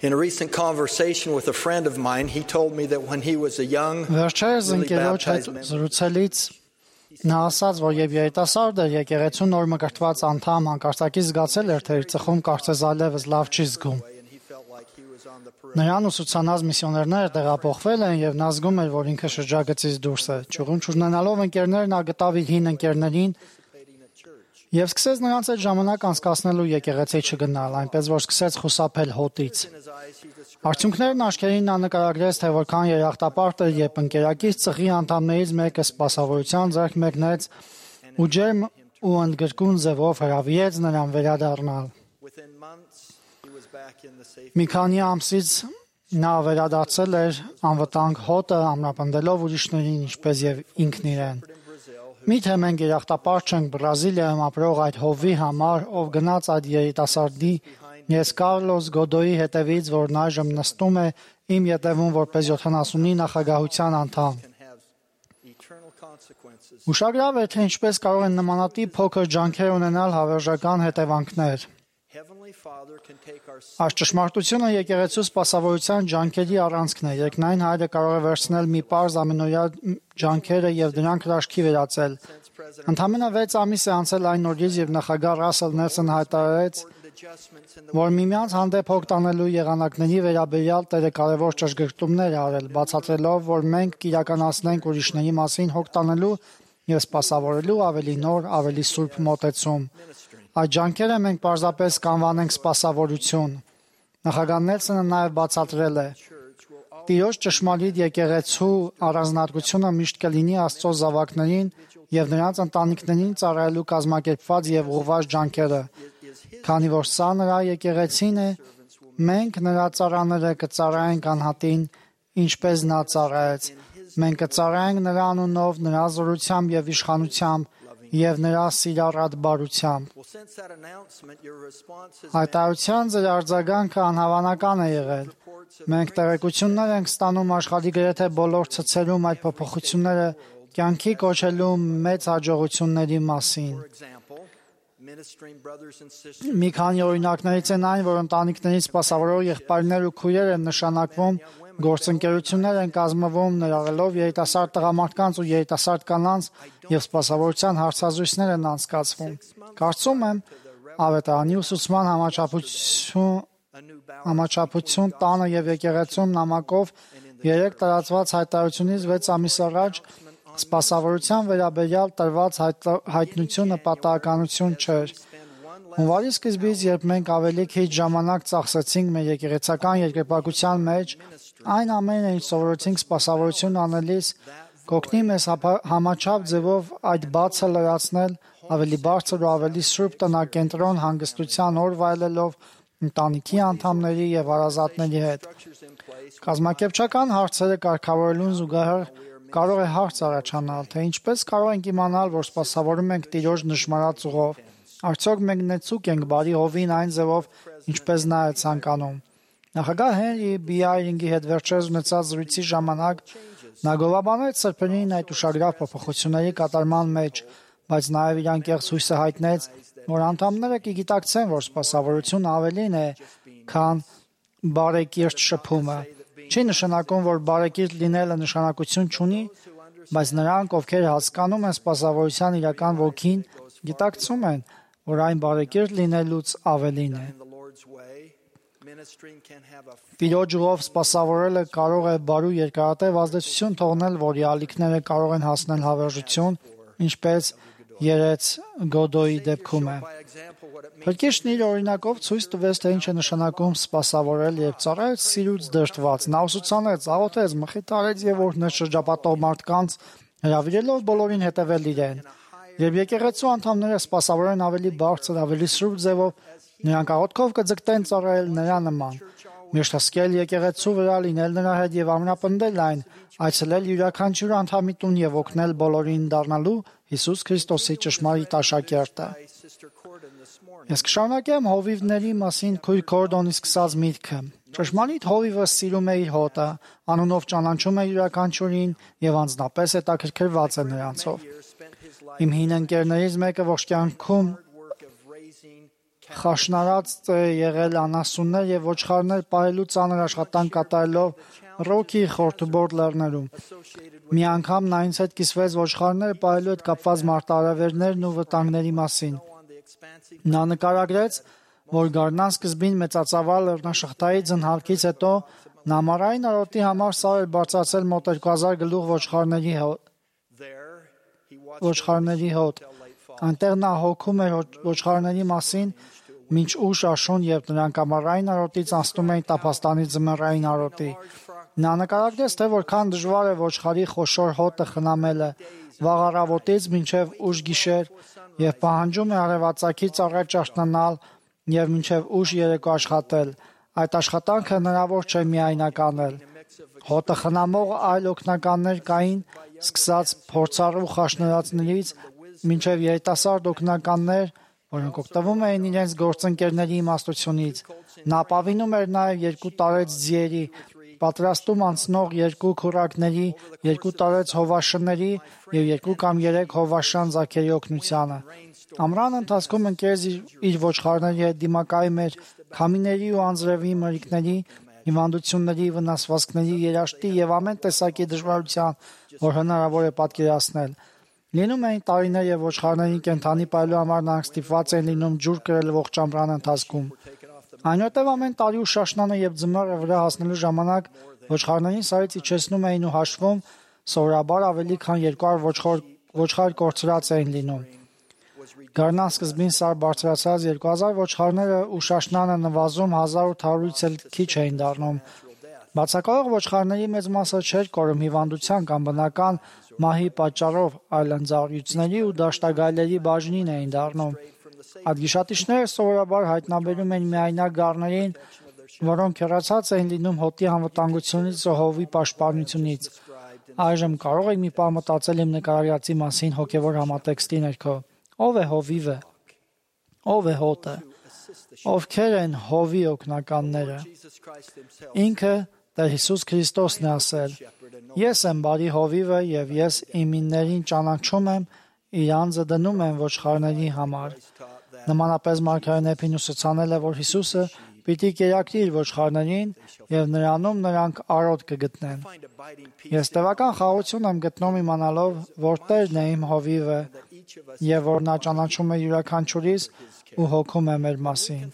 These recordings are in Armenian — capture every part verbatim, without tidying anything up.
In a recent conversation with a friend of mine, he told me that when he was a young, Վերջերս newly ընկերոջ հետ baptized member, զրուցելից նա ասաց, որ եւ երիտասարդը եկեղեցու նոր մկրտված անդամ հանկարծակի զգացել էր, թե իր ծխում կարծես այլևս լավ չի զգում։ and he felt like he was on the periphery. Նրան ուսուցանած միսիոներները տեղափոխվել են եւ նա զգում էր, որ ինքը շրջագծից դուրս է։ Ճյուղուն չունենալով ընկերներ նա գտավ իր հին ընկերներին եւ սկսեց նրանց այդ ժամանակ անցկացնելու եկեղեցի չգնալ, այնպես որ սկսեց խուսափել հոտից։ In his eyes, he described Արդյունքներն աչքերին նա նկարագրեց, թե որքան երախտապարտ էր, երբ ընկերակից ծխի անդամներից մեկը սպասավորության ձեռք մեկնեց ու ջերմ ու ընդգրկուն ձևով հրավիրեց նրան վերադառնալ։ within months, he was back in the safe. Մի քանի ամսից նա վերադարձել էր անվտանգ հոտը, ամրապնդելով ուրիշներին, ինչպես եւ ինքն իրեն։ In Brazil, Միթե մենք երախտապարտ չենք Բրազիլիայում ապրող այդ հովի համար, ով գնաց այդ երիտասարդի ես Կարլոս Գոդոյի հետևից, որն այժմ նստում է իմ ետևում որպես յոթանասունի նախագահության անդամ։ can have eternal consequences. Ուշագրավ է, թե ինչպես կարող են նմանատիպ փոքր ջանքեր ունենալ հավերժական հետևանքներ։ Heavenly Father can take our sin Այս ճշմարտությունը եկեղեցու սպասավորության ջանքերի առանցքն է։ Երկնային Հայրը կարող է վերցնել մի պարզ ամենօրյա ջանքերը եւ դրանք հրաշքի վերածել։ since President Ընդամենը վեց ամիս է անցել այն օրից, երբ նախագահ Ռասել Նելսոն հայտարարեց, important adjustments in the որ միմյանց հանդեպ հոգ տանելու եղանակների վերաբերյալ Տերը կարևոր ճշգրտումներ է արել, բացատրելով, որ մենք կիրականացնենք ուրիշների մասին հոգ տանելու եւ սպասավորելու ավելի նոր, ավելի սուրբ մոտեցում։ ministry. Այդ ջանքերը մենք պարզապես կանվանենք սպասավորություն։ Նախագահ Նելսոնը նաև բացատրել է. Church will always Տիրոջ ճշմարիտ եկեղեցու առանձնահատկությունը միշտ կլինի Աստծո զավակներին եւ նրանց ընտանիքներին ծառայելու կազմակերպված եւ ուղղված ջանքերը, is his քանի որ սա նրա եկեղեցին է, մենք նրա ծառաները կծառայենք անհատին, ինչպես նա ծառայեց։ Մենք կծառայենք նրա անունով, նրա զորությամբ եւ իշխանությամբ եւ նրա սիրառատ բարությամբ։ Well, since that announcement, your response has Հայտարարության ձեր արձագանքը անհավանական է եղել։ reports of Մենք տեղեկություններ ենք ստանում աշխարհի գրեթե բոլոր ցցերում այդ փոփոխությունները կյանքի կոչելու մեծ հաջողությունների մասին։ for example, ministering brothers and sisters Մի քանի օրինակներից են այն, որ ընտանիքներից սպասավորող եղբայրներ ու քույրեր են նշանակվում, գործընկերություններ են կազմվում, ներառելով երիտասարդ տղամարդկանց ու երիտասարդ կանանց եւ սպասավորության հարցազրույցներ են անցկացվում։ Կարծում եմ, ավետարանի ուսուցման համաչափություն a new balance համաչափություն տանը եւ եկեղեցում նամակով երեք տարածված հայտարարությունից վեց ամիս առաջ սպասավորության վերաբերյալ տրված հայտ- հայտնությունը պատահականություն չէր։ Հունվարի սկզբից, երբ մենք ավելի քիչ ժամանակ ծախսեցինք մեր եկեղեցական երկրպագության մեջ, այն ամենը, ինչ սովորեցինք սպասավորություն անելիս, կօգնի մեզ հապա- համաչափ ձևով այդ բացը լրացնել, ավելի բարձր ու ավելի սուրբ տնակենտրոն հանգստության օր վայելելով ընտանիքի անդամների եւ հարազատների հետ։ structures in place. Կազմակերպչական հարցերը կարգավորելուն զուգահեռ կարող է հարց առաջանալ, թե ինչպես կարող ենք իմանալ, որ սպասավորում ենք Տիրոջ նշмарած ուղով։ Արդյոք մենք նեցուկ ենք բարի հովին այն ձևով, ինչպես նա է ցանկանում։ Նախագահ Հենրի Բիայրինգի հետ վերջերս ունեցած զրույցի ժամանակ նա գովաբանեց սրբերին այդ ուշագրավ փոփոխությունների կատարման մեջ, բայց նաև իր անկեղծ հույսը հայտնեց, որ անդամները կգիտակցեն, որ սպասավորություն ավելին է, քան բարեկիրթ շփումը։ Չի նշանակում, որ բարեկիրթ լինելը նշանակություն չունի, բայց նրանք, ովքեր հասկանում են սպասավորության իրական ոգին, գիտակցում են, որ այն բարեկիրթ լինելուց ավելին է։ In the Lord's way, ministering can have a Տիրոջ ուղով սպասավորելը կարող է բարու երկարատև ազդեցություն թողնել, որի ալիքները կարող են հասնել հավերժություն, ինչպես երեց Գոդոյի դեպքում է։ by example what it means. Փրկիչն իր օրինակով ցույց տվեց, թե ինչ է նշանակում սպասավորել եւ ծառայեց սիրուց դրդված։ Նա ուսուցանեց, աղոթեց, մխիթարեց եւ օրհնեց շրջապատող մարդկանց, հրավիրելով բոլորին հետևել իրեն։ Երբ եկեղեցու անդամները սպասավորեն ավելի բարձր, ավելի սուրբ ձևով, նրանք աղոթքով կձգտեն ծառայել նրա նման։ Միշտ հսկել եկեղեցու վրա, լինել նրա հետ եւ ամրապնդել այն, այցելել յուրաքանչյուր անդամի տուն եւ օգնել բոլորին դառնալու Հիսուս Քրիստոսի ճշմարիտ աշակերտը։ By Sister Corden this morning. Ես կշարունակեմ հովիվների մասին քույր Քորդոնի սկսած միտքը։ Ճշմարիտ հովիվը սիրում է իր հոտը, անունով ճանաչում է յուրաքանչյուրին եւ անձնապես հետաքրքրված է նրանցով։ Years spent his life Իմ հին ընկերներից մեկը ողջ կյանքում work of raising խաշնարած է եղել անասուններ եւ ոչխարներ պահելու ծանր աշխատանք կատարելով Ռոքի խորթուբորդ լեռներում։ Մի անգամ նա ինձ հետ կիսվեց ոչխարները պահելու հետ կապված մարտահրավերներն ու վտանգների մասին։ Նա նկարագրեց, որ գարնան սկզբին մեծածավալ լեռնաշղթայի ձնհալքից հետո նամարային արոտի համար սար էր բարձրացել մոտ երկու հազար գլուխ ոչխարների ոչխարների հոտ։ Այնտեղ նա հոգում էր ոչխարների մասին մինչ ուշ աշուն, երբ նրանք ամառային արոտից անցնում էին Տափաստանի ձմեռային արոտի։ Նա նկարագրեց, թե որքան դժվար է ոչխարի խոշոր հոտը խնամելը վաղ առավոտից մինչև ուշ գիշեր եւ պահանջում է արևածագից առաջ արթնանալ եւ մինչև ուշ երեկո աշխատել։ Այդ աշխատանքը հնարավոր չէ միայնակ անել։ Հոտը խնամող այլ օգնականներ կային, սկսած փորձառու խաշնարածներից մինչև երիտասարդ օգնականներ, որոնք օգտվում էին իրենց գործընկերների իմաստությունից։ Նա ապավինում էր նաև երկու տարեց ձիերի, պատրաստում անցնող երկու քուռակների, երկու տարեց հովաշների եւ երկու կամ երեք հովաշան ձագերի օգնությանը։ Ամռան ընթացքում ընկերս իր ոչխարների հետ դիմակայում էր քամիների ու անձրևի մրրիկների, հիվանդությունների, վնասվածքների, երաշտի եւ ամեն տեսակի դժվարության, որ հնարավոր է պատկերացնել։ Լինում էին տարիներ եւ ոչխարներին կենթանի պահելու համար նրանք ստիպված էին լինում ջուր կրել ողջ ամռան ընթացքում։ Այնուհետև ամեն տարի ու շաշնանը եւ ձմեռը վրա հասնելու ժամանակ ոչխարներին սարից իջեցնում էին ու հաշվում սովորաբար ավելի քան երկու հարյուր ոչխար ոչխար կորցրած էին լինում։ Գարնան սկզբին սար բարձրացած երկու հազար ոչխարները ու շաշնանը նվազում հազար ութ հարյուրից էլ քիչ էին դառնում։ Բացակայող ոչխարների մեծ մասը չէր կորում հիվանդության կամ բնական մահի պատճառով, այլ ընձառյուծների ու դաշտագայլերի բաժնին էին դառնում։ Այդ գիշատիչները սովորաբար հայտնաբերում են միայնակ գառներին, որոնք հեռացած էին լինում հոտի անվտանգությունից ու հովի պաշտպանությունից։ Այժմ կարող եք մի պահ մտածել իմ նկարագրածի մասին հոգևոր համատեքստի ներքո։ Ո՞վ է հովիվը։ Ո՞վ է հոտը։ Ովքեր են հովի օգնականները։ Ինքը Տեր Հիսուս Քրիստոսն է ասել. Ես եմ բարի հովիվը եւ ես իմիններին ճանաչում եմ, իր անձը դնում եմ ոչխարների համար։ Նմանապես Մարգարեն Էփին ուսուցանել է, որ Հիսուսը պիտի կերակրի իր ոչխարներին եւ նրանում նրանք արոտ կգտնեն։ Ես տևական խաղաղություն եմ գտնում իմանալով, որ Տերն է իմ հովիվը եւ որ նա ճանաչում է յուրաքանչյուրիս ու հոգում է մեր մասին։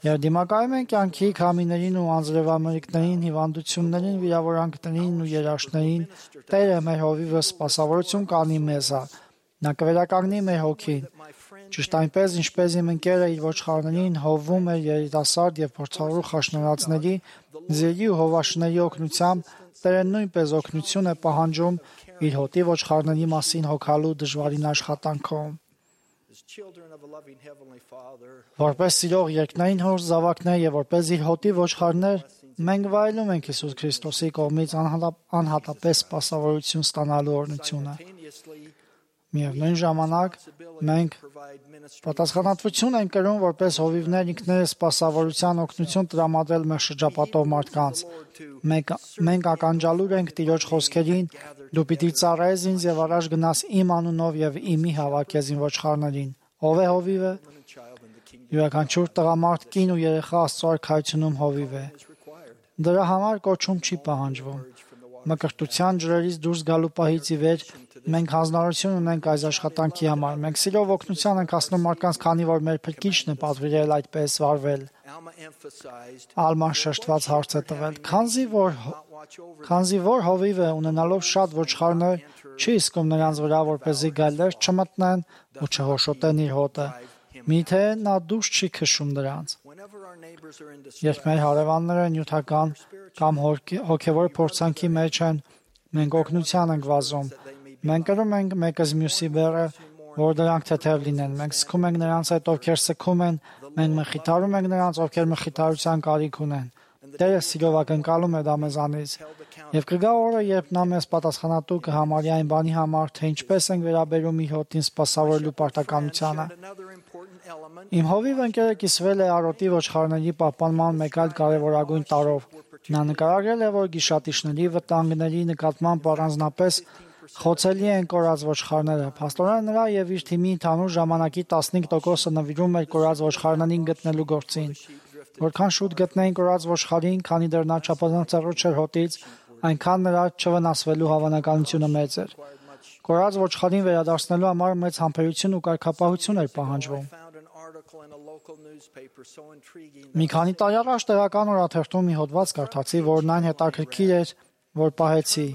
Երբ դիմակայում ենք կյանքի քամիներին ու անձրևամրրիկներին, հիվանդություններին, վիրավորանքներին ու երաշտներին, Տերը մեր հովիվը սպասավորություն կանի մեզ։ Նա կվերականգնի մեր հոգին։ Ճիշտ այնպես, ինչպես իմ ընկերը իր ոչխարներին հովում էր երիտասարդ եւ փորձառու խաշնարածների, ձերի ու հովաշների օգնությամբ, Տերը նույնպես օգնություն է պահանջում իր հոտի ոչխարների մասին հոգալու դժվարին աշխատանքում։ Որպես սիրող երկնային հոր զավակներ եւ որպես իր հոտի ոչխարներ, մենք վայելում ենք Հիսուս Քրիստոսի կողմից անհատապես սպասավորություն ստանալու օրհնությունը։ Միևնույն ժամանակ մենք պատասխանատվություն ենք կրում որպես հովիվներ ինքներս սպասավորության օգնություն տրամադրել մեր շրջապատող մարդկանց։ Մենք մենք ականջալուր ենք Տիրոջ խոսքերին. դու պիտի ծառայես ինձ եւ առաջ գնաս իմ անունով եւ իմի հավաքես իմ ոչխարներին։ Ով է հովիվը։ Յուրաքանչյուր տղամարդ, կին ու երեխա Աստծո արքայությունում հովիվ է։ Դրա համար կոչում չի պահանջվում։ Մկրտության ջրերից դուրս գալու պահից ի վեր մենք հանձնարարություն ունենք այս աշխատանքի համար։ Մենք սիրով օգնության ենք հասնում մարդկանց, քանի որ մեր փրկիչն է պատվիրել այդպես վարվել։ Ալման շեշտված հարց է տվել. Քանզի որ քանզի որ հովիվը ունենալով շատ ոչխարներ չի իսկում նրանց վրա, որպեսզի գայլեր չմտնեն ու չհոշոտեն իր հոտը։ Միթե նա դուրս չի քշում դրանց։ Երբ մեր հարևանները նյութական կամ հոգևոր փորձանքի մեջ են, մենք օգնության ենք վազում։ Մենք կրում ենք մեկս մյուսի բեռը, որ դրանք թեթև լինեն։ Մենք սգում ենք նրանց հետ, ովքեր սգում են, մենք մխիթարում ենք նրանց, ովքեր մխիթարության կարիք ունեն։ Տերը սիրով ակնկալում է դա մեզանից։ Եվ կգա օրը, երբ նա մեզ պատասխանատու կհամարի այն բանի համար, թե ինչպես ենք վերաբերում իր հոտին սպասավորելու պարտականությանը։ Իմ հովիվ ընկերը կիսվել է արոտի ոչխարների պահպանման մեկ այլ կարևորագույն տարրով։ Նա նկարագրել է, որ գիշատիչների վտանգների նկատմամբ առանձնապես Խոցելի են կորած ոչխարները։ Փաստորեն նրա եւ իր թիմի ընդհանուր ժամանակի տասնհինգ տոկոսը նվիրում էր կորած ոչխարներին գտնելու գործին։ Որքան շուտ գտնեին կորած ոչխարին, քանի դեռ նա չափազանց հեռու չէր հոտից, այնքան նրա չվնասվելու հավանականությունը մեծ էր։ Կորած ոչխարին վերադարձնելու համար մեծ համբերություն ու կարգապահություն էր պահանջվում։ Մի քանի տարի առաջ տեղական օրաթերթում մի հոդված կարդացի, որն այն հետաքրքիր էր, որ պահեցի։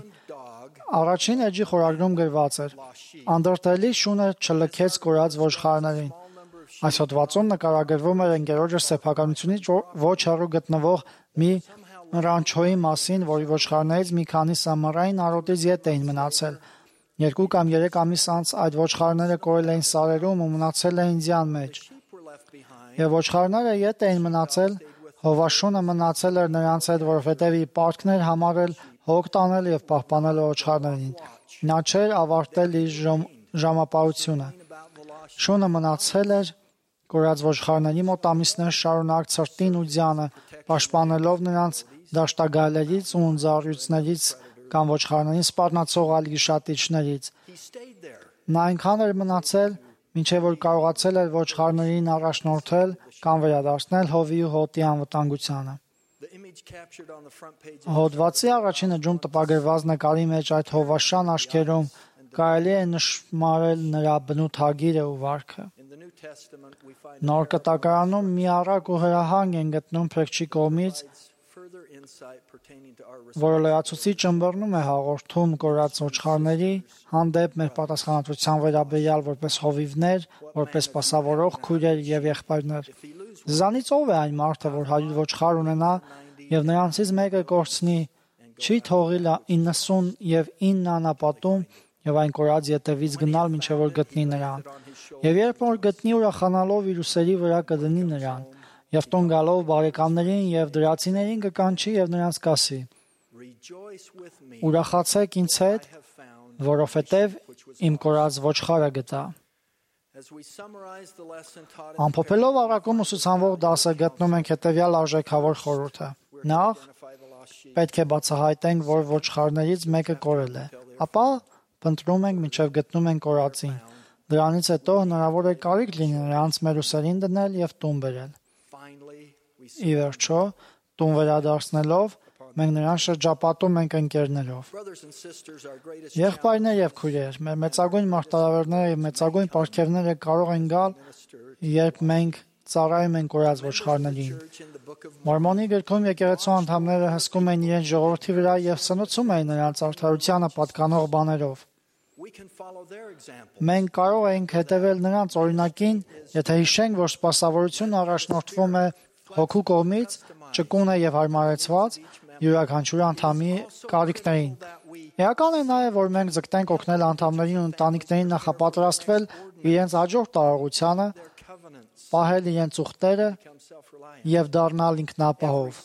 Առաջին էջի խորագրում գրված էր. «Անդրտելի շունը չլքեց կորած ոչխարներին»։ Այս հոդվածում նկարագրվում էր ընկերոջս սեփականությունից ոչ հեռու գտնվող մի ռանչոյի մասին, որի ոչխարներից մի քանիսը ամառային արոտից ետ էին մնացել։ Երկու կամ երեք ամիս անց այդ ոչխարները կորել էին սարերում ու մնացել էին ձյան մեջ։ Եվ ոչխարները ետ էին մնացել, հովաշունը մնացել էր նրանց հետ, որովհետև իր պարտքն էր համարել հոգ տանել եւ պահպանել ոչխարներին։ Նա չէր ավարտել իր ժամապահությունը։ Շունը մնացել էր կորած ոչխարների մոտ ամիսներ շարունակ ցրտին ու ձյանը, պաշտպանելով նրանց դաշտագայլերից ու ընձառյուծներից կամ ոչխարներին սպառնացող այլ գիշատիչներից։ Նա այնքան էր մնացել, մինչև որ կարողացել էր ոչխարներին առաջնորդել կամ վերադարձնել հովի ու հոտի անվտանգությանը։ Հոդվածի առաջին էջում տպագրված նկարի մեջ այդ հովաշան աչքերում կարելի է նշմարել նրա բնութագիրը ու վարքը։ Նոր կտակարանում մի առակ ու հրահանգ են գտնում փրկչի կողմից, որը լրացուցիչ ըմբռնում է հաղորդում կորած ոչխարների հանդեպ մեր պատասխանատվության վերաբերյալ որպես հովիվներ, որպես սպասավորող քույրեր եւ եղբայրներ։ Ձեզանից ով է այն մարդը, որ հարյուր ոչխար ունենա եւ նրանցից մեկը կորցնի, չի թողի իննսուն եւ ինը անապատում եւ այն կորած ետևից գնալ մինչեւ որ գտնի նրան։ Եվ երբ որ գտնի, ուրախանալով իր ուսերի վրա կդնի նրան, եւ տուն գալով բարեկամներին եւ դրացիներին կկանչի եւ նրանց կասի. Ուրախացեք ինձ հետ, որովհետեւ իմ կորած ոչխարը գտա։ Ամփոփելով առակում ուսուցանվող դասը գտնում ենք հետեւյալ արժեքավոր խորհուրդը։ Նախ պետք է բացահայտենք, որ ոչխարներից մեկը կորել է, ապա փնտրում ենք մինչև գտնում ենք կորածին։ Դրանից հետո հնարավոր է կարիք լինի նրանց մեր ուսերին դնել եւ տուն բերել։ Ի վերջո, տուն վերադարձնելով, մենք նրան շրջապատում ենք ընկերներով։ Եղբայրներ եւ քույրեր, մեր մեծագույն մարտահրավերները եւ մեծագույն պարգևները կարող են գալ, երբ մենք ծառայում ենք կորած ոչխարներին։ Մորմոնի գրքում եկեղեցու անդամները հսկում են իրենց ժողովրդի վրա եւ սնուցում են նրանց արդարությանը պատկանող բաներով։ Մենք կարող ենք հետևել նրանց օրինակին, եթե հիշենք, որ սպասավորությունը առաջնորդվում է հոգու կողմից, ճկուն է եւ հարմարեցված յուրաքանչյուր անդամի կարիքներին։ Էական է նաեւ, որ մենք ձգտենք օգնել անդամներին ու ընտանիքներին նախապատրաստվել իրենց հաջորդ տարողությանը, պահել իրենց ուխտերը եւ դառնալ ինքնապահով։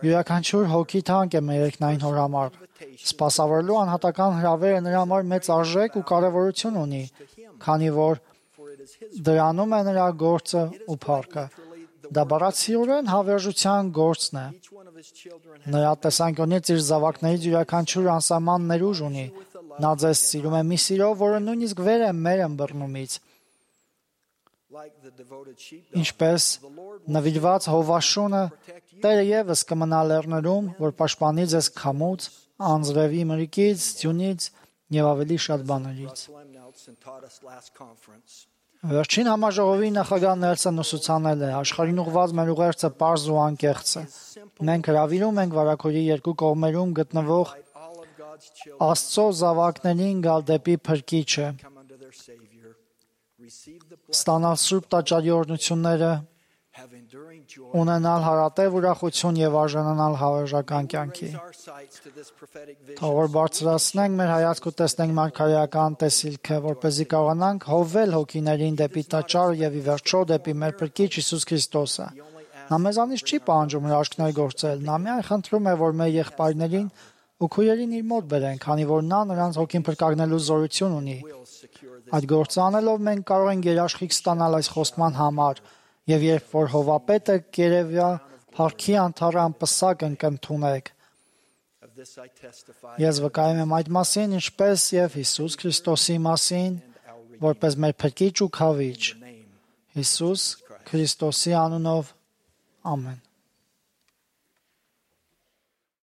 Յուրաքանչյուր հոգի թանկ է մեր երկնային հոր համար։ Սպասավորելու անհատական հրավերը նրա համար մեծ արժեք ու կարևորություն ունի, քանի որ դրանում է նրա գործը ու փառքը։ Դա բառացիորեն հավերժության գործն է։ Նրա տեսանկյունից իր զավակներից յուրաքանչյուր անսահման ներուժ ունի։ Նա ձեզ սիրում է մի սիրով, որը նույնիսկ վեր է մեր ըմբռնումից։ Ինչպես նվիրված հովաշունը, Տերը ևս կմնա լեռներում, որ պաշտպանի ձեզ քամուց, անձրևի մրրիկից, ձյունից եւ ավելի շատ բաներից։ Վերջին համաժողովի նախագահ Նելսոն ուսուցանել է. աշխարհին ուղղված մեր ուղերձը պարզ ու անկեղծ է։ Մենք հրավիրում ենք վարագույրի երկու կողմերում գտնվող Աստծո զավակներին գալ դեպի Փրկիչը, ստանալ սուրբ տաճարի օրհնությունները, ունենալ հարատև ուրախություն եւ արժանանալ հավերժական կյանքի։ Թող որ բարձրացնենք մեր հայացքը ու տեսնենք մարգարեական տեսիլքը, որպեսզի կարողանանք հովվել հոգիներին դեպի տաճարը եւ ի վերջո դեպի մեր Փրկիչ Հիսուս Քրիստոսը։ Նա մեզանից չի պահանջում հրաշքներ գործել, նա միայն խնդրում է, որ մեր եղբայրներին ու քույրերին իր մոտ բերեն, քանի որ նա նրանց հոգին փրկագնելու զորություն ունի։ Այդ գործը անելով մենք կարող ենք երաշխիք ստանալ այս խոստման համար, եւ երբ որ հովապետը կերևյա փառքի անթառան պսակ ընկնդունեք, Of this I testify. Ես վկայում եմ այդ մասին, ինչպես եւ Հիսուս Քրիստոսի մասին, որպես մեր փրկիչ ու քավիչ։ Հիսուս Քրիստոսի անունով, ամեն։